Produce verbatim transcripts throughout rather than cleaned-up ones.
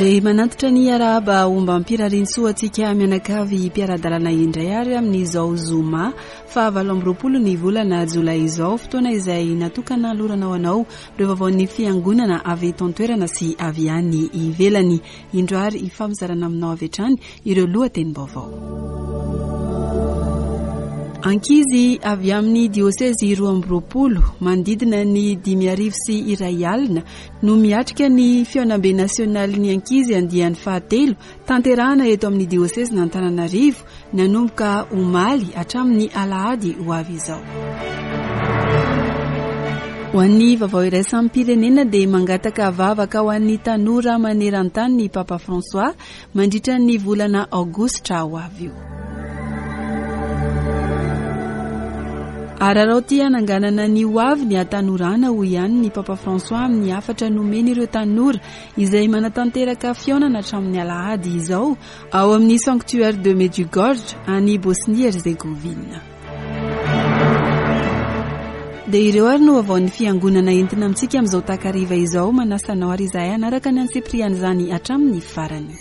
Dia manantitra ny arahaba ombam-pirariantsoa antsika mianakavy mpiara-dalana indray ary amin'izao zoma fahavalo amby roapolo ny volana jolay izao, fotoana izay natokana lorana ho anao ireo vaovaon'ny fiangonana avy eto an-toerana sy avy any ivelany. Indro ary hifampizarana aminao avy hatrany ireo lohatenim-baovao. Ankizy avy amin'ny diosezy roa amby roapolo manodidina ny dimy arivo sy iray alina no miatrika ny fihaonambe nasionalin'ny ankizy andiany fahatelo tanterahana eto amin'ny diosezin'Antananarivo nanomboka omaly hatramin'ny alahady ho avy izao. Ho an'ny vaovao iraisam-pirenena dia mangataka vavaka ho an'ny tanora maneran-tany ny Papa François mandritra ny volana aogositra ho avy io. Araraoty hananganana ny ho avy ny hatanorana hoy ihany ny Papa François amin'ny hafatra nomeny ireo tanora izay manatanteraka fihaonana hatramin'ny alahady izao ao amin'ny Sanctuaire de Medjugorje any Bosnie-Herzegovina. Dia ireo ary no vaovaon'ny fiangonana entina amintsika amin'izao takariva izao. Manasa anao ary izahay hanaraka ny antsipirian'izany hatramin'ny farany.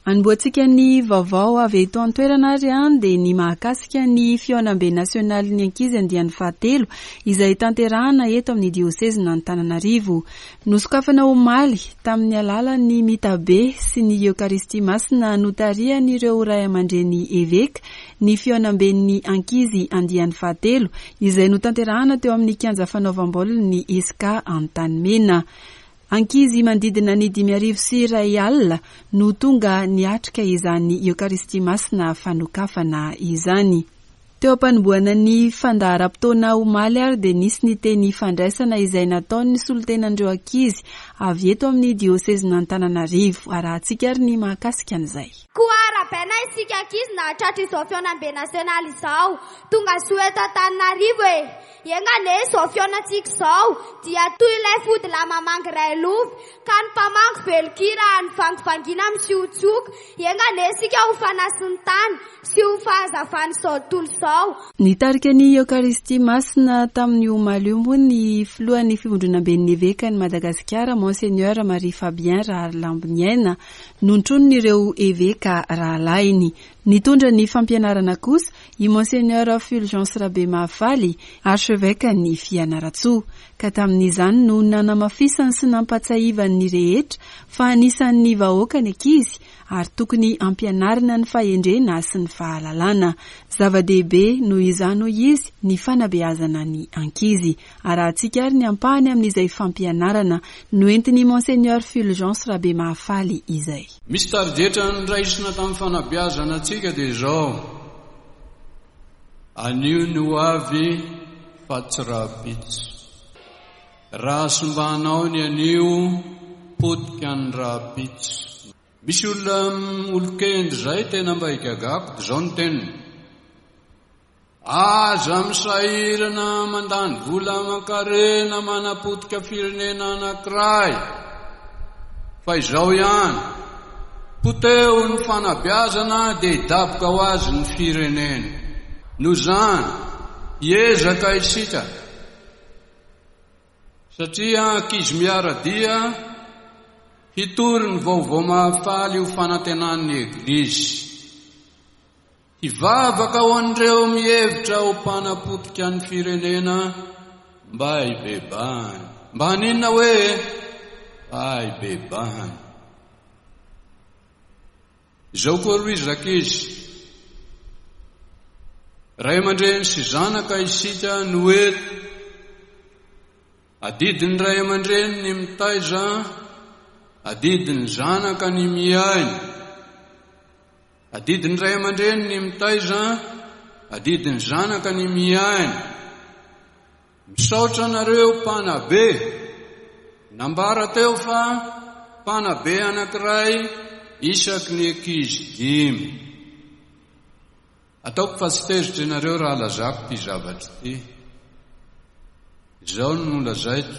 Anombohantsika ny vaovao avy eto an-toerana ary an dia ny mahakasika ny fihaonambe nasionalin'ny ankizy andiany fahatelo izay tanterahana eto amin'ny diosezin'Antananarivo. Nosokafana omaly tamin'ny alalan'ny mitabe sy ny Eokaristia masina notarihan'ireo ray aman-dreny eveka ny fihaonamben'ny ankizy andiany fahatelo izay notanterahana teo amin'ny kianja fanaovam-baolin'ny E S C A Antanimena. Ankizy manodidina ny dimy arivo sy iray alina no tonga niatrika izany Eokaristia masina fanokafana izany. Teo am-panombohana ny fandaharam-potoana omaly ary dia nisy ny teny fandraisana izay nataon'ny solontenan'ireo ankizy avy eto amin'ny diosezin'Antananarivo. Arahantsika ary ny mahakasika an'izay. Koa arahabaina isika ankizy nahatratra izao fihaonambe nasionaly izao. Tonga soa eto Antananarivo e. Enga anie izao fihaonantsika izao dia toy ilay fody lahy mamangy iray lovy ka ny mpamangy velon-kira ny vangivangiana misiotsioka. Enga anie isika ho fanasin'ny tany sy ho fahazavan'izao tontolo izao. Nitarika ny Eokaristia masina tamin'ny omaly io moa ny filohan'ny fivondronamben'ny evekan'i Madagasikara Monseigneur Marie Fabien Raharilamboniaina notronin'ireo eveka rahalahiny. Nitondra ny fampianarana kosa i Monseigneur Fulgence Rabemahafaly, archevêque-n'ny Fianarantsoa. Ka tamin'izany no nanamafisany sy nampatsiahivany rehetra fa anisan'ny vahoaka ny ankizy ary tokony ampianarina ny fahendrena sy ny fahalalana. Zava-dehibe noho izany hoy izy ny fanabeazana ny ankizy. Arahantsika ary ny ampahany amin'izay fampianarana noentin'ny Monseigneur Fulgence Rabemahafaly izay. Misy tarigetra noraisina tamin'ny fanabeazana antsika dia izao: anio ny ho avy fa tsy rahampitso. Raha simbanao ny anio, potika ny rahampitso. Misy olona olon-kendry zay tena mba igagako dia izao ny teniny: aza misahirana mandany vola aman-karena manapotika firenena anankiray fa izao ihany, poteo ny fanabeazana dia hidaboka ho azy ny firenena. Noho izany, hiezaka isika satria ankizy miara-dia hitory ny vaovao mahafaly ho fanantenan'ny Eglizy. Hivavaka ho an'ireo mihevitra ho mpanapotika ny firenena mba hibebahany. Mba haninona hoe mba hibebahany. Izao koa aloha izy rankizy. Ray aman-dreny sy zanaka isika no eto. Adidin'ny ray aman-dreny ny mitaiza, adidin'ny zanaka ny miaina. Adidin'ny ray aman-dreny ny mitaiza, adidin'ny zanaka ny miaina. Misaotra anareo mpanabe. Nambara teo fa mpanabe anankiray isaky ny ankizy dimy. Ataoko fa tsy tezitra ianareo raha lazako ity zavatra ity. Izao no nolazaiko.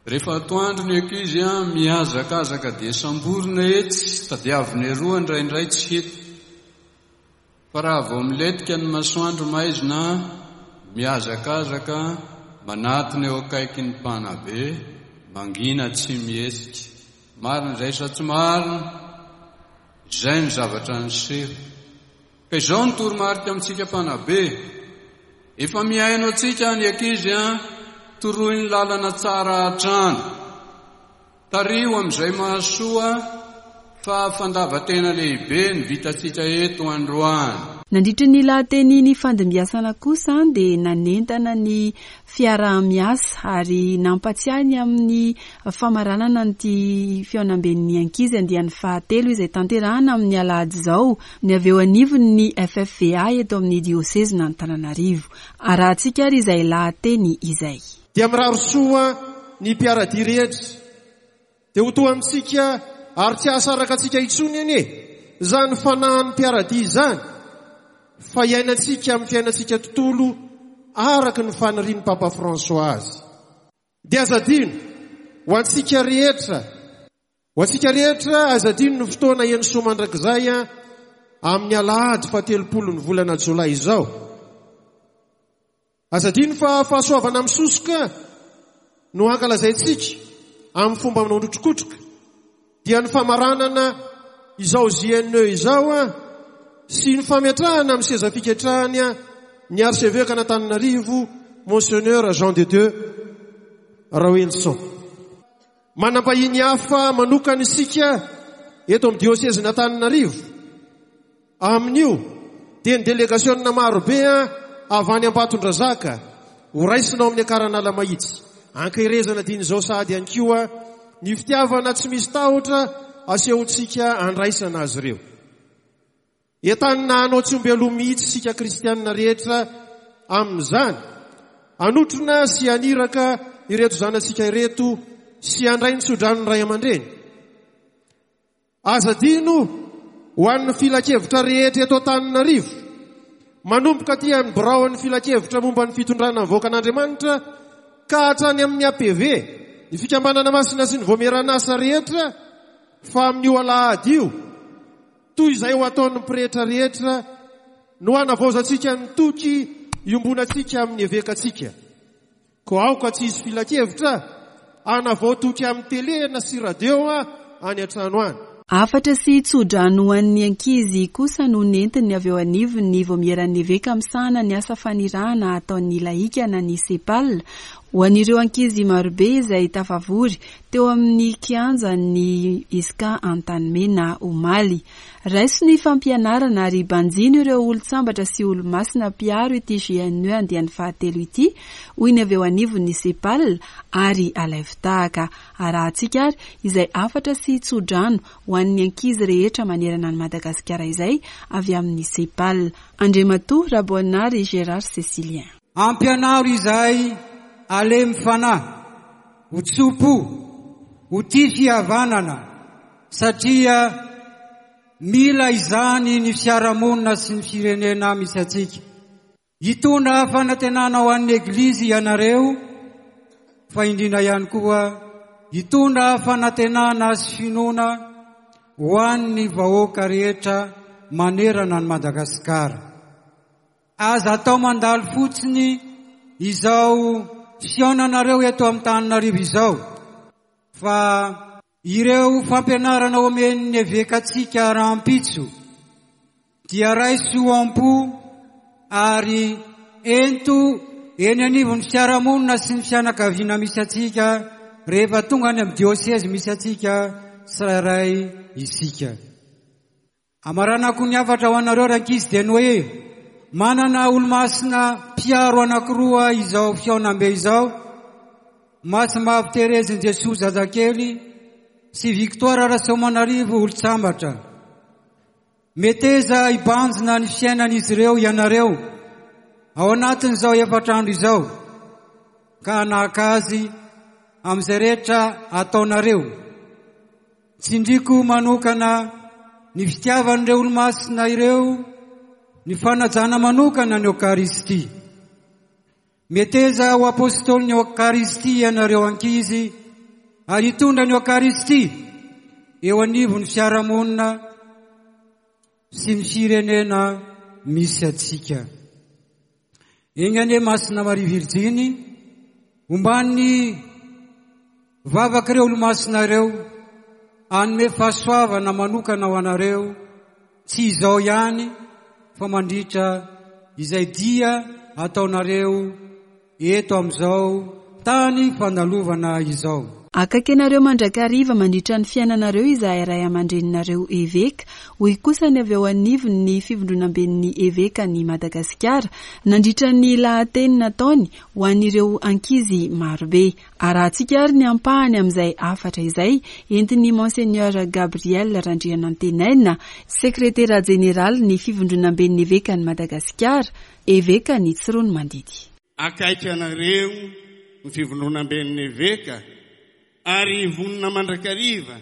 Rehefa atoandro ny ankizy a mihazakazaka dia samborina etsy, tadiavina eroa indraindray tsy hita. Fa raha vao milentika ny masoandro maizina, mihazakazaka manatona eo akaikin'ny mpanabe, mangina tsy mihetsika. Marina izay sa tsy marina? Izay ny zavatra niseho. Ka izao ny toromarika amintsika mpanabe. Efa mihaino antsika ny ankizy a, toroy ny lalana tsara hatrany. Tariho amin'izay mahasoa fa fandavan-tena lehibe ny vitantsika eto androany. Nandritra ny lahateny nifandimbiasana kosa dia nanentana ny fiaraha-miasa ary nampatsiahy ny amin'ny famaranana an'ity fihaonamben'ny ankizy andiany fahatelo izay tanterahana amin'ny alahady izao ny avy eo anivon'ny F F V A eto amin'ny diosezin'Antananarivo. Arahantsika ary izay lahateny izay. Dia mirary soa ny mpiaradia rehetra dia ho toa amintsika ary tsy hahasaraka antsika intsony anie zany fanahin'ny mpiaradia izany fa iainantsika amin'ny fiainantsika tontolo araka ny fanirian'ny Papa François azy. Dia aza adino ho antsika rehetra ho antsika rehetra aza adino ny fotoana eny soa mandrakizay a amin'ny alahady fahatelopolo ny volana jolay izao. Aza adino fa fahasoavana misosoka no ankalazaintsika amin'ny fomba manondrotrokotroka dia ny famaranana izao J N E izao a sy ny fametrahana amin'ny seza fiketrahany a ny archevêque an'Antananarivo, Monseigneur Jean de Dieu Raoelison. Manam-bahiny hafa manokana isika eto amin'ny diosezin'Antananarivo amin'io dia ny délégation marobe a avy any Ambatondrazaka ho raisina ao amin'ny Ankaranala Mahitsy ankaherezana diny izao sady ihany koa ny fitiavana tsy misy tahotra asehontsika andraisana azy ireo. Entanina hanao tsy omby aloha mihitsy sika kristianina rehetra amin'izany anotrona sy aniraka ireto zanatsika ireto sy andray ny tsodranony ray aman-dreny. Aza adino ho an'ny filankevitra rehetra eto Antananarivo manomboka aty amin'ny biraon'ny filankevitra momba ny fitondrana ny vahoakan'Andriamanitra ka hatrany amin'ny A P V ny fikambanana masina sy ny vaomieran'asa rehetra fa amin'io alahady io toy izay ho ataon'ny pretra rehetra no anavaozantsika ny toky iombonantsika amin'ny evekantsika ko aoka tsy hisy filankevitra anavao toky amin'ny télé na sy radio a any an-trano any. Hafatra sy tsodrano ho an'ny ankizy kosa no nentiny avy eo anivon'ny vaomieran'ny eveka misahana ny asa fanirahana ataon'ny lahika na ny SEPAL ho an'ireo ankizy marobe izay tafavory teo amin'ny kianjan'ny I S C A Antanimena omaly. Raiso ny fampianarana ary banjino ireo olon-tsambatra sy olo-masina mpiaro ity J N E andiany fahatelo ity, hoy ny avy eo anivon'ny SEPAL, ary alaivo tahaka. Arahantsika ary izay hafatra sy tsodrano ho an'ny ankizy rehetra manerana ny Madagasikara izay avy amin'ny SEPAL, Andriamatoa Raboanary Gérard Cécilien. Ampianaro izahay halemy fanahy, ho tso-po, ho tia fihavanana, satria mila izany ny fiarahamonina sy ny firenena misy atsika. Hitondra fanantenana ho an'ny eglizy ianareo, fa indrindra ihany koa hitondra fanantenana sy finoana ho an'ny vahoaka rehetra manerana ny Madagasikara. Aza atao mandalo fotsiny izao fihaonanareo eto amin'ny Tananarivo izao, fa ireo fampianarana omen'ny evekantsika rahampitso dia raiso am-po ary ento eny anivon'ny fiarahamonina sy ny fianakaviana misy atsika rehefa tonga any amin'ny diosezy misy atsika tsirairay isika. Amaranako ny hafatra ho anareo rankizy dia ny hoe manana olo-masina mpiaro anankiroa izao fihaonambe izao: Masimbavy Terezin'i Jesosy zazakely sy Victoire Rasoamanarivo olon-tsambatra. Meteza hibanjina ny fiainan'izy ireo ianareo ao anatin'izao efatra andro izao ka hanahaka azy amin'izay rehetra ataonareo. Tsindriko manokana ny fitiavan'ireo olo-masina ireo, ny fanajana manokana ny Eokaristia. Meteza ho apôstôly ny Eokaristia ianareo ankizy. ary hitondra ny Eokaristia eo anivon'ny fiarahamonina sy ny firenena misy antsika. Enga anie Masina Maria Virjiny, omban'ny vavak'ireo olomasina ireo, hanome fahasoavana manokana ho anareo, tsy izao ihany fa mandritra izay dia ataonareo eto amin'izao tany fandalovana izao. Akaiky anareo mandrakariva mandritra ny fiainanareo izahay ray aman-dreninareo eveka, hoy kosa ny avy eo anivon'ny fivondronamben'ny evekan'i Madagasikara nandritra ny lahateny nataony ho an'ireo ankizy marobe. Arahantsika ary ny ampahany amin'izay hafatra izay entin'ny Monseigneur Gabriel Randrianantenaina, sekretera jeneralin'ny fivondronamben'ny evekan'i Madagasikara, evekan'i Tsiroanomandidy. Akaiky anareo ny fivondronamben'ny eveka ary vonona mandrakariva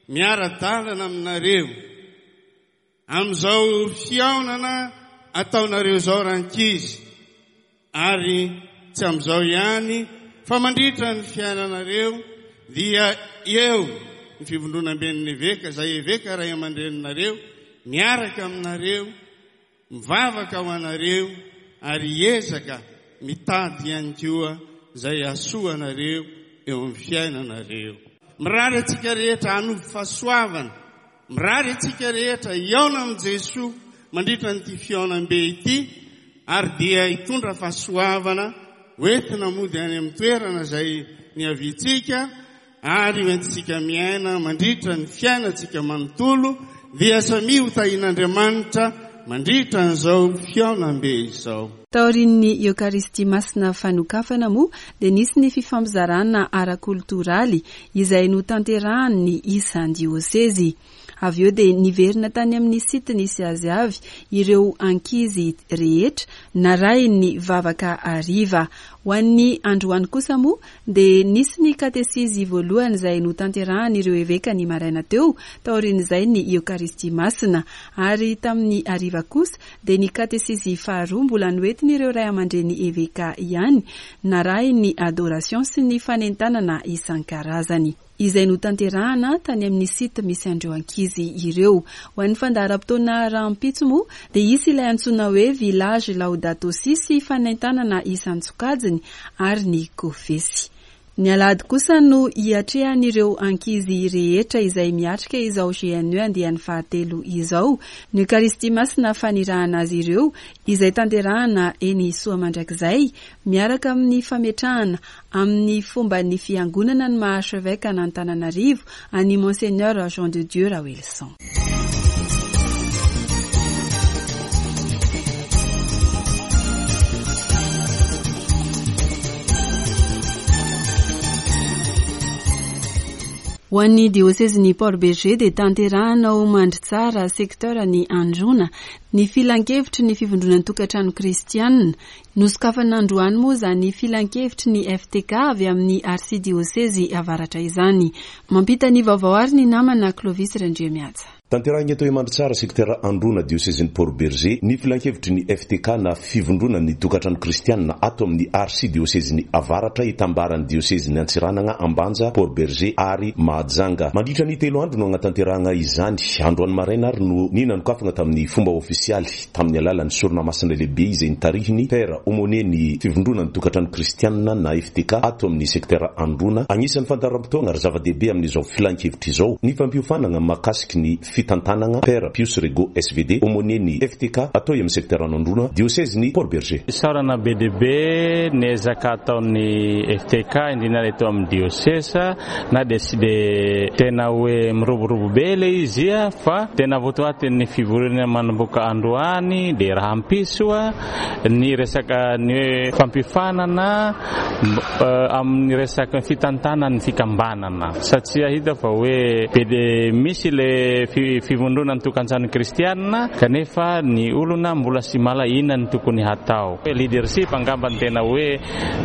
miara-dalana aminareo amin'izao fihaonana ataonareo izao rankizy, ary tsy amin'izao ihany fa mandritra ny fiainanareo dia eo ny fivondronamben'ny eveka, izay eveka ray aman-dreninareo, miaraka aminareo, mivavaka ho anareo ary hiezaka mitady ihany koa izay hahasoa anareo eo amin'ny fiainanareo. Mirary antsika rehetra hanovo fahasoavana, mirary antsika rehetra hihaona amin'i Jesoa mandritra an'ity fihaonambe ity, ary dia hitondra fahasoavana hoentina mody any amin'ny toerana izay niaviantsika, ary hoentintsika miaina mandritra ny fiainantsika manontolo, dia samia ho tahian'Andriamanitra mandritra an'izao fihaonambe izao. Taorian'ny Eokaristia Masina fanokafana moa dia nisy ny fifampizarana ara-koltoraly izay notanterahan'ny isan-diosezy. Avy eo dia niverina tany amin'ny site nisy azy avy ireo ankizy rehetra narahin'ny vavaka hariva. Ho an'ny androany kosa moa dia nisy ny katesizy voalohany izay notanterahan'ireo eveka ny maraina teo, taorian'izay ny Eokaristia Masina, ary tamin'ny hariva kosa dia ny katesizy faharoa mbola noentin'ireo ray aman-dreny eveka ihany, narahin'ny adoration sy ny fanentanana isan-karazany izay notanterahana tany amin'ny site misy an'ireo ankizy ireo. Ho an'ny fandaharam-potoana rahampitso moa dia hisy ilay antsoina hoe village Laudato Si sy fanentanana isan-tsokajiny ary ny kofesy. Ny alahady kosa no hiatrehan'ireo ankizy rehetra izay miatrika izao G N E andiany fahatelo izao, ny Eucharistie Masina fanirahana azy ireo izay tanterahana eny Soamandrakizay, miaraka amin'ny fametrahana amin'ny fomban'ny fiangonana ny maha archevêque an'Antananarivo an'i Monseigneur Jean de Dieu Raoelison. Ho an'ny diosezin'ny Port Bergé dia tanterahana ao Mandritsara, secteur ny Androna, ny filankevitry ny fivondronan'ny tokantrano kristianina. Nosokafana androany moa izany filankevitry ny F T K avy amin'ny arsidiosezy avaratra izany. Mampita ny vaovao ary ny namana Clovis Randriamihaja. Tanterahina eto Mandritsara, secteur Androna, diosezin'ny Port Bergé, ny filankevitry ny F T K na fivondronan'ny tokantrano kristianina ato amin'ny arsidiosezin'ny avaratra hitambaran'ny diosezin'ny Antsiranana, Ambanja, Port Bergé ary Mahajanga. Mandritra ny telo andro no hanatanterahana izany. Androany maraina ary no ninanokafana tamin'ny fomba ofisialy tamin'ny alalan'ny sorona masina lehibe izay nitarihiny Père Aumônier ny fivondronan'ny tokantrano kristianina na F T K ato amin'ny secteur Androna. Anisan'ny fandaharam-potoana ary zava-dehibe amin'izao filankevitra izao ny fampiofanana mahakasiky ny fitantanana Père Pius Rego S V D Aumônier ny F T K atao amin'ny secteur Androna, diosezin'ny Port Bergé. Isaorana be dia be ny ezaka ataon'ny F T K indrindra eto amin'ny diosesa, na dia tsy dia tena hoe miroborobo be ilay izy ia, fa tena votoatin'ny fivoriana manomboka androany dia rahampitso ny resaka ny hoe fampiofanana, eh, amin'ny resaka fitantanana ny fikambanana, satria hita fa hoe be dia misy ilay fivondronan'ny tokantrano kristianina, kanefa ny olona mbola sy mahalala inona ny tokony hatao. Leadership angamba ny tena hoe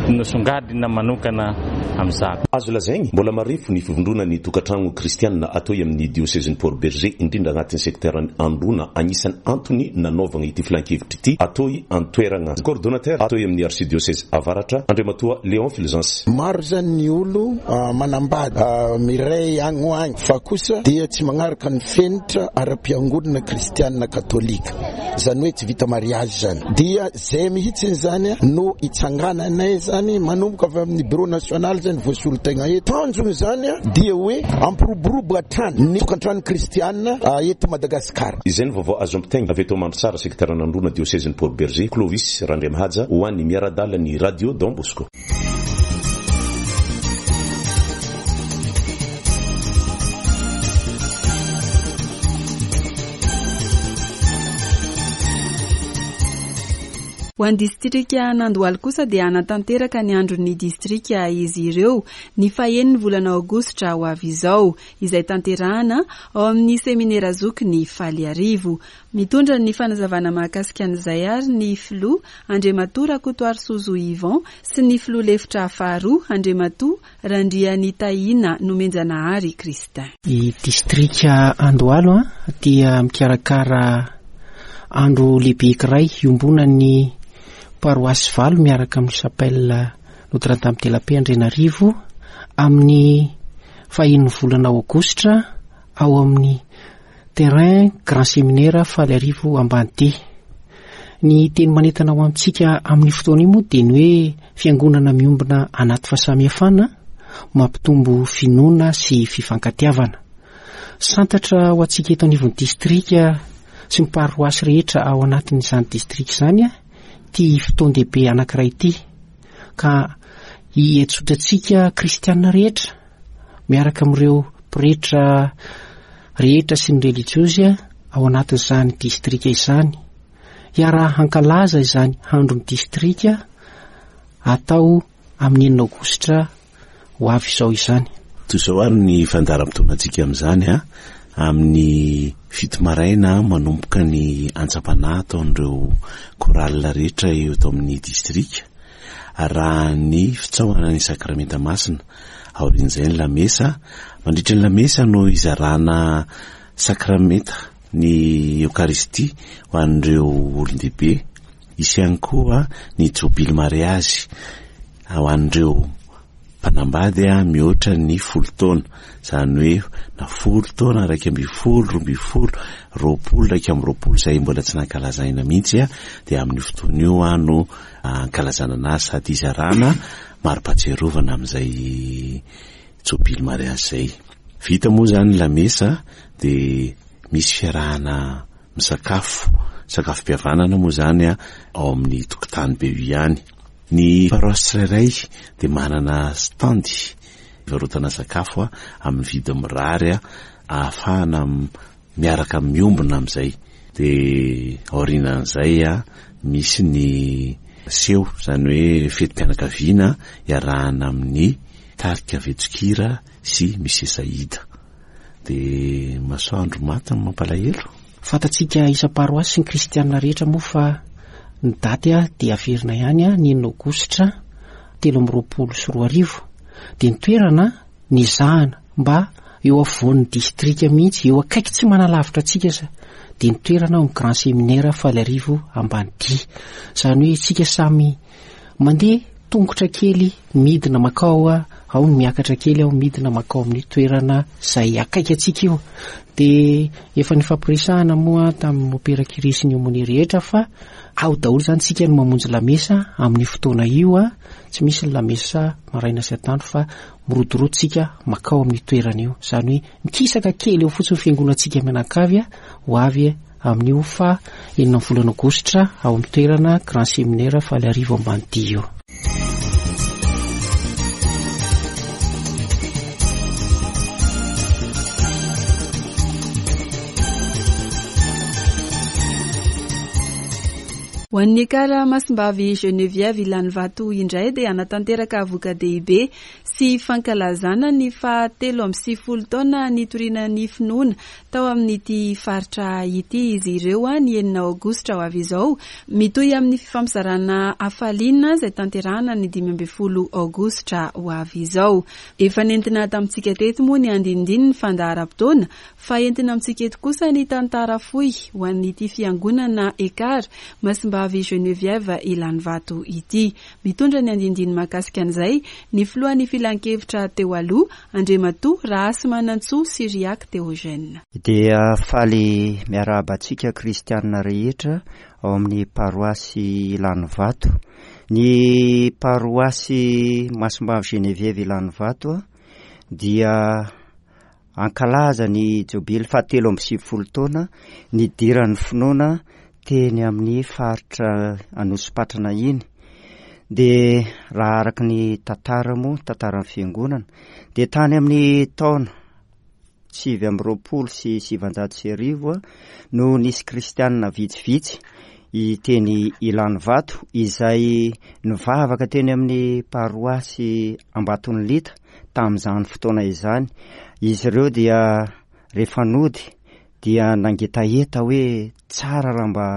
nosongadina manokana amin'izany. Azo lazaigny, mbola marefo ny fivondronan'ny tokantrano kristianina atao amin'ny diosezin'i Port Bergé, indrindra agnatin'ny sekteran'i Androna, anisan'ny antony nanaovagna ity filankevitra ity atao an-toeragna. Coordonnateur atao amin'ny archidiocèse Avaratra, Andriamatoa Léon Fulgence. Maro zany ny olo manambady miray agny ho agny, fa kosa dia tsy magnaraka ny fenitra ara-piangonana kristianina katolika, zany hoe tsy vita mariage zany. Dia zay mihitsy zany no itsangananay zany manomboka avy amin'ny bureau national zany voasolo tegna eto. Tanjony zany dia hoe ampiroborobo hatrany ny tokantrano kristianina eto Madagasikara. Izay ny vaovao azo ampitaigna avy eto Mandritsara, sekteran'Androna, diosezin'i Port Bergé. Clovis Randriamahaja ho an'ny miara-dalana ny Radio Don Bosco. Ho an'ny distrika Andohalo kosa dia hanatanteraka ny andron'ny distrika izy ireo ny fahenin'ny volana aogositra ho avy izao, izay tanterahana ao amin'ny seminera zoky ny Faliarivo. Mitondra ny fanazavana mahakasika an'izay ary ny filoha Andriamatoa Rakotoarisozo Yvon sy ny filoha lefitra faharoa Andriamatoa Randrianitahina Nomenjanahary Kristin. I distrika Andohalo dia mikarakara andro lehibe iray iombonan'ny paroasy valo miaraka amin'ny chapelle Notre-Dame de la Paix Andrianarivo amin'ny fahenin'ny volana aogositra ao amin'ny terrain Grand Séminaire Faliarivo Ambanidia. Ny teny manentana ho antsika amin'ny fotoana io moa dia ny hoe fiangonana miombona anaty fahasamihafana mampitombo finoana sy fifankatiavana. Santatra ho antsika eto anivon'ny distrika sy ny paroasy rehetra ao anatin'izany distrika izany ty fotoan-dehibe anankiray ity, ka hietsotra kristianina rehetra miaraka amin'ireo pretra rehetra sy ny relijiozy ao anatin'izany distrika izany, hiara hankalaza izany andron'ny distrika atao amin'ny enina aogositra ho avy izao izany. Toy izao ary ny fandaharam-potoanantsika amin'izany a, amin'ny fito maraina manomboka ny antsam-panahy ataon'ireo chorale rehetra eto amin'ny distrika, raha ny fitsaohana ny sakramenta masina. Aorian'izay ny lamesa. Mandritra ny lamesa no izarana sakramenta ny Eokaristia ho an'ireo olon-dehibe. Hisy ihany koa ny jobily mariazy ho an'ireo mpanambady mihoatra ny folo taona, izany hoe na folo taona, iraika ambin'ny folo, roa ambin'ny folo, roapolo, iraika amby roapolo, izay mbola tsy nankalazaina mihitsy, dia amin'io fotoana io no ankalazana anazy sady izarana mari-pahatsiarovana amin'izay jobily mariazy izay. Vita moa izany lamesa dia misy fiarahana misakafo, sakafom-pihavanana moa izany ao amin'ny tokotany be io ihany. Ny paroasy tsirairay dia manana stand fivarotana sakafo amin'ny vidiny mirary ahafahana miaraka miombona amin'izay. Dia aorianan'izay misy ny seho, izany hoe fetim-pianakaviana iarahana amin'ny tarika Vetsokira sy Mise Saïda. Dia masoandro maty ny mampalahelo. Fantatsika isam-paroasy sy ny kristianina rehetra moa fa ny daty dia averina ihany ny enina aogositra telo amby roapolo sy roa arivo. Dia ny toerana nizahana mba eo afovoan'ny distrika mihitsy, eo akaiky tsy manalavitra antsika sa, dia ny toerana ao amin'ny Grand Séminaire Faliarivo Ambanidia. Izany hoe isika samy mandeha tongotra kely midina makao, ao ny miakatra kely ao midina makao amin'ny toerana izay akaiky antsika io. Dia efa nifampiresahana moa tamin'ny mopera Kire sy ny aumônier rehetra fa ao daholo izany tsika no mamonjy lamesa amin'ny fotoana io, tsy misy ny lamesa maraina sy atoandro fa mirodorodo tsika makao amin'ny toerana io. Izany hoe mikisaka kely eo fotsiny fiangonantsika mianakavy ho avy amin'io fa enina amin'ny volana aogositra ao amin'ny toerana Grand Séminaire Faliarivo Ambanidia io. Ho an'ny Ekar Masimbavy Geneviève Ilanivato indray dia hanatanteraka voka-dehibe sy fankalazana ny fahatelo amby sivifolo taona nitoriana ny finoana tao amin'ity faritra ity izy ireo ny enina aogositra ho avy izao, mitohy amin'ny fifampizarana hafaliana izay tanterahana ny dimy ambin'ny folo aogositra ho avy izao. Efa nentina tamintsika teto moa ny andinindininy fandaharam-potoana, fa entina amintsika eto kosa ny tantara fohy ho an'ity fiangonana Ekar Masimbavy Geneviève Ilanivato ity. Mitondra ny andinindiny mahakasika an'izay ny filohan'ny filankevitra teo aloha, Andriamatoa Rahasimanantsoa Syriac Théogène. Dia faly miarahaba antsika kristianina rehetra ao amin'ny paroasy Ilanivato. Ny paroasy Masimbavy Geneviève Ilanivato dia ankalaza ny jobily fahatelo amby sivifolo taona nidiran'ny finoana teny amin'ny faritra Anosipatrana iny. Dia raha araka ny tantara moa, tantaran'ny fiangonana, dia tany amin'ny taona sivy amby roapolo sy sivanjato sy arivo no nisy kristianina vitsivitsy teny Ilanivato izay nivavaka teny amin'ny paroasy Ambatonilita tamin'izany fotoana izany. Izy ireo dia rehefa nody dia nangetaheta hoe tsara raha mba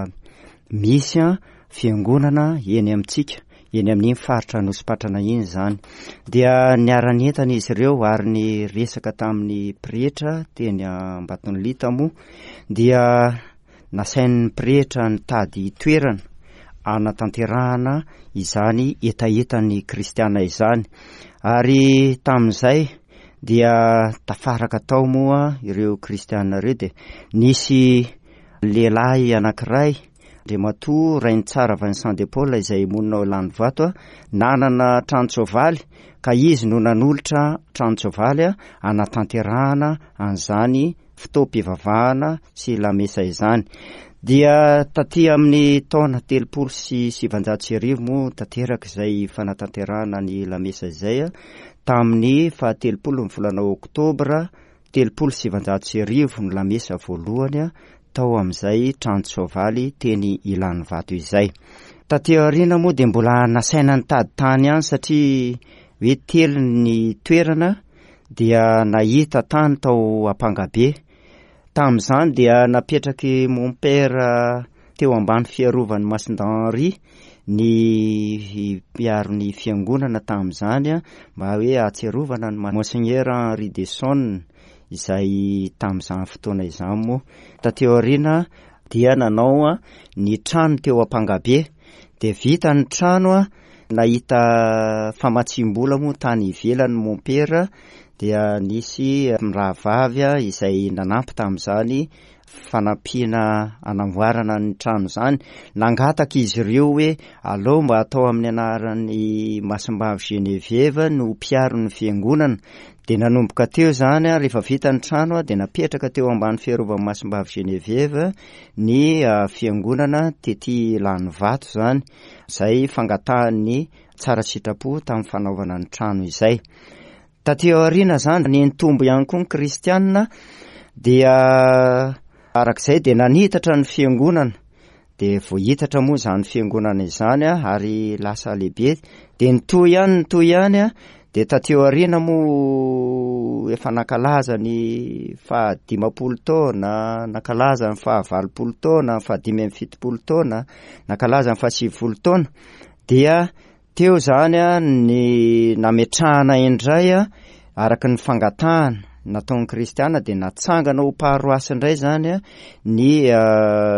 misy fiangonana eny amintsika, eny amin'iny faritra Anosipatrana iny izany. Dia niara-nientana izy ireo ary niresaka tamin'ny pretra teny Ambatonilita moa, dia nasain'ny pretra nitady toerana anatanterahana izany hetahetan'ny kristiana izany. Ary tamin'izay dia tafaraka tao moa ireo kristiana ireo, dia nisy lehilahy anankiray, Andriamatoa Rainitsara Vincent de Paul, izay monina ao Ilanivato, nanana tranon-tsoavaly, ka izy no nanolotra tranon-tsoavaly anatanterahana an'izany fotoam-pivavahana sy lamesa izany. Dia taty amin'ny taona telopolo sy sivanjato sy arivo moa tanteraka izay fanatanterahana ny lamesa izay, tamin'ny fahatelopolo ny volana oktobra telopolo sivanjato sy arivo ny lamesa voalohany tao amin'izay tranon-tsoavaly teny Ilanivato izay. Taty aoriana moa dia mbola nasaina nitady tany ihany satria hoe telo ny toerana, dia nahita tany tao Ampangabe. Tamin'izany dia napetraky mon père teo ambany fiarovan'ny Masindahy Henri ny mpiaro ny fiangonana tamin'izany, mba hoe ahatsiarovana ny Monseigneur Henri de Sonne izay tamin'izany fotoana izany moa. Taty aoriana dia nanao ny trano teo Ampangabe, dia vita ny trano, nahita famatsiam-bola moa tany ivelany mon père, dia nisy rahavavy izay nanampy tamin'izany fanampiana anamboarana ny trano izany. Nangataka izy ireo hoe aleo mba atao amin'ny anaran'ny Masimbavy Geneviève no mpiaro ny fiangonana. Dia nanomboka teo izany, rehefa vita ny trano dia napetraka teo ambany fiarovan'ny Masimbavy Geneviève ny fiangonana tety Ilanivato izany, izay fangatahan'ny tsara sitrapo tamin'ny fanaovana ny trano izay. Taty aoriana izany nitombo ihany koa ny kristianina, dia arak'izay dia nanitatra ny fiangonana, dia voahitatra moa izany fiangonana izany ary lasa lehibe. Dia nitohy ihany, nitohy ihany, dia taty aoriana moa efa nankalaza ny fahadimampolo taona, nankalaza ny fahavalopolo taona, ny fahadimy amby fitopolo taona, nankalaza ny fahasivifolo taona. Dia teo izany ny nametrahana indray araka ny fangatahana nataon'ny kristiana, dia natsangana ho paroasy indray izany ny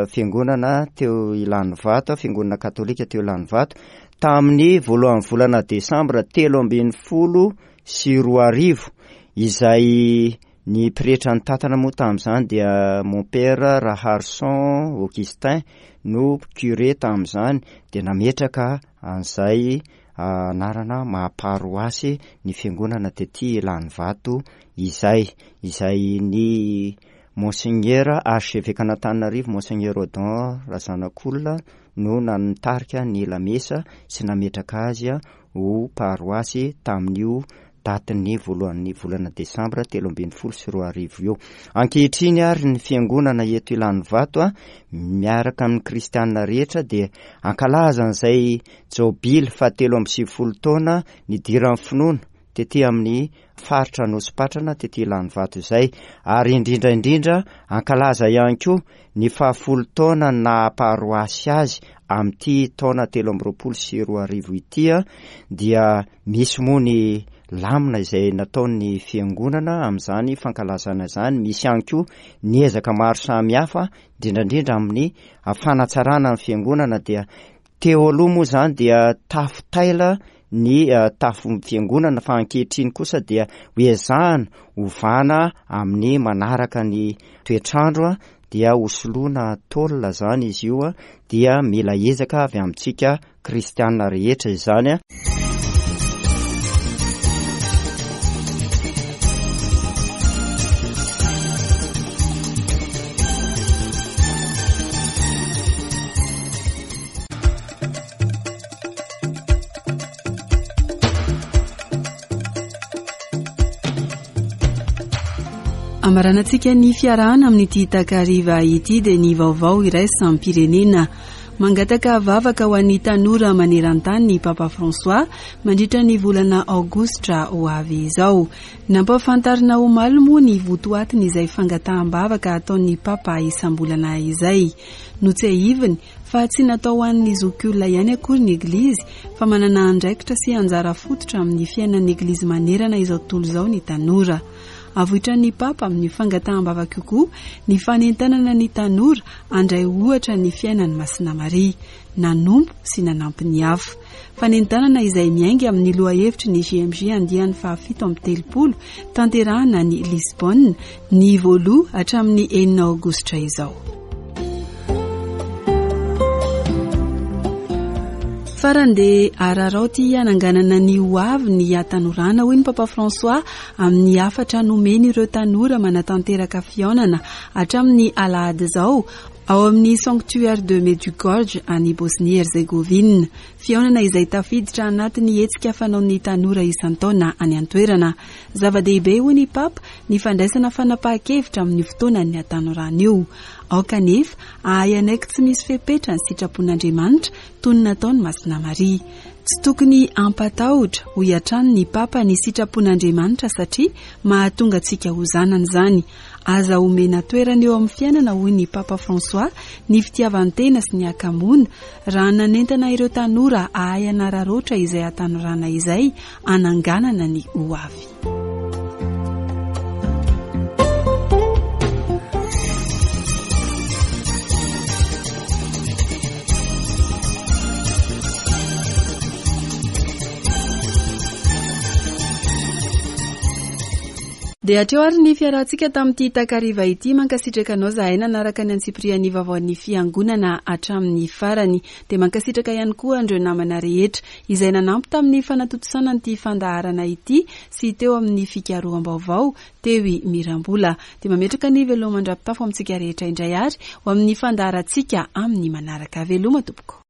fiangonana teo Ilanivato, fiangonana katolika teo Ilanivato, tamin'ny voalohan'ny volana desambra telo ambin'ny folo sy roa arivo, izay ny pretra nitantana moa tamin'izany dia mon père Raharison Augustin no curé tamin'izany, dia nametraka an'izay anarana maha-paroasy ny fiangonana tety Ilanivato izay, izay ny Monseigneur archevêque an'Antananarivo Monseigneur Odon Razanakolona no nanitarika ny lamesa sy nametraka azy ho paroasy tamin'io datin'ny voalohan'ny volana desambra telo ambin'ny folo sy roa arivo io. Ankehitriny ary ny fiangonana eto Ilanivato a miaraka amin'ny kristianina rehetra dia ankalaza an'izay jobily fahatelo amby sivifolo taona nidiran'ny finoana tety amin'ny faritra Anosipatrana tety Ilanivato izay, ary indrindra indrindra ankalaza ihany koa ny fahafolo taona naha-paroasy azy amin'ity taona telo amby roapolo sy roa arivo ity a dia misy moa ny lamina izay nataon'ny fiangonana amin'izany fankalazana izany. Misy ihany koa ny ezaka maro samihafa indrindra indrindra amin'ny fanatsarana ny fiangonana. Dia teo aloha moa izany dia tafo taila ny tafo fiangonana, fa ankehitriny kosa dia hoezahana ovana amin'ny manaraka ny toetrandro a dia hosoloana tôle izany izy io a dia mila ezaka avy amintsika kristianina rehetra izany a. Amaranantsika ny fiarahana amin'ity takariva ity dia ny vaovao iraisam-pirenena. Mangataka vavaka ho an'ny tanora maneran-tany ny Papa François mandritra ny volana aogositra ho avy izao. Nampahafantarina omaly moa ny votoatiny izay fangataham-bavaka ataon'ny Papa isam-bolana izay. Notsiahiviny fa tsy natao ho an'ny zokiolona ihany akory ny Eglizy, fa manana andraikitra sy anjara fototra amin'ny fiainan'ny Eglizy manerana izao tontolo izao ny tanora. Avoitran'ny Papa amin'ny fangataham-bavaka koa ny fanentanana ny tanora handray ohatra ny fiainan'i Masina Maria, nanompo sy nanampy ny hafa. Fanentanana izay miainga amin'ny lohahevitry ny J M J andiany fahafito amby telopolo tanterahana any Lisbonne ny voaloha hatramin'ny enina aogositra izao. Farany dia araraoty hananganana ny ho avy ny hatanorana, hoy ny Papa François amin'ny hafatra nomeny ireo tanora manatanteraka fihaonana hatramin'ny alahady izao ao amin'ny Sanctuaire de Medjugorje any Bosnie-Herzegovina. Fihaonana izay tafiditra anatin'ny hetsika fanaon'ny tanora isan-taona any an-toerana. Zava-dehibe, hoy ny Papa, ny fandraisana fanapahan-kevitra amin'ny fotoanan'ny hatanorana io. Aoka anefa hahay hanaiky tsy misy fepetra ny sitrapon'Andriamanitra toy ny nataon'i Masina Maria. Tsy tokony hampatahotra, hoy hatrany ny Papa, ny sitrapon'Andriamanitra satria mahatonga antsika ho zanany izany. Aza omena toerana eo amin'ny fiainana, hoy ny Papa François, ny fitiavan-tena sy ny hakamoana, raha nanentana ireo tanora hahay hanararaotra izay hatanorana izay hananganana ny ho avy. Dia hatreo ary ny fiarahantsika tamin'ity takariva ity. Mankasitraka anao zahay nanaraka ny antsipirian'ny vaovaon'ny fiangonana hatramin'ny farany. Dia mankasitraka ihany koa an'ireo namana rehetra izay nanampy tamin'ny fanatontosana an'ity fandaharana ity sy teo amin'ny fikaroham-baovao teo i Mirambola. Dia mametraka ny veloma mandra-pitafo amintsika rehetra indray ary ho amin'ny fandaharantsika amin'ny manaraka. Veloma tompoko.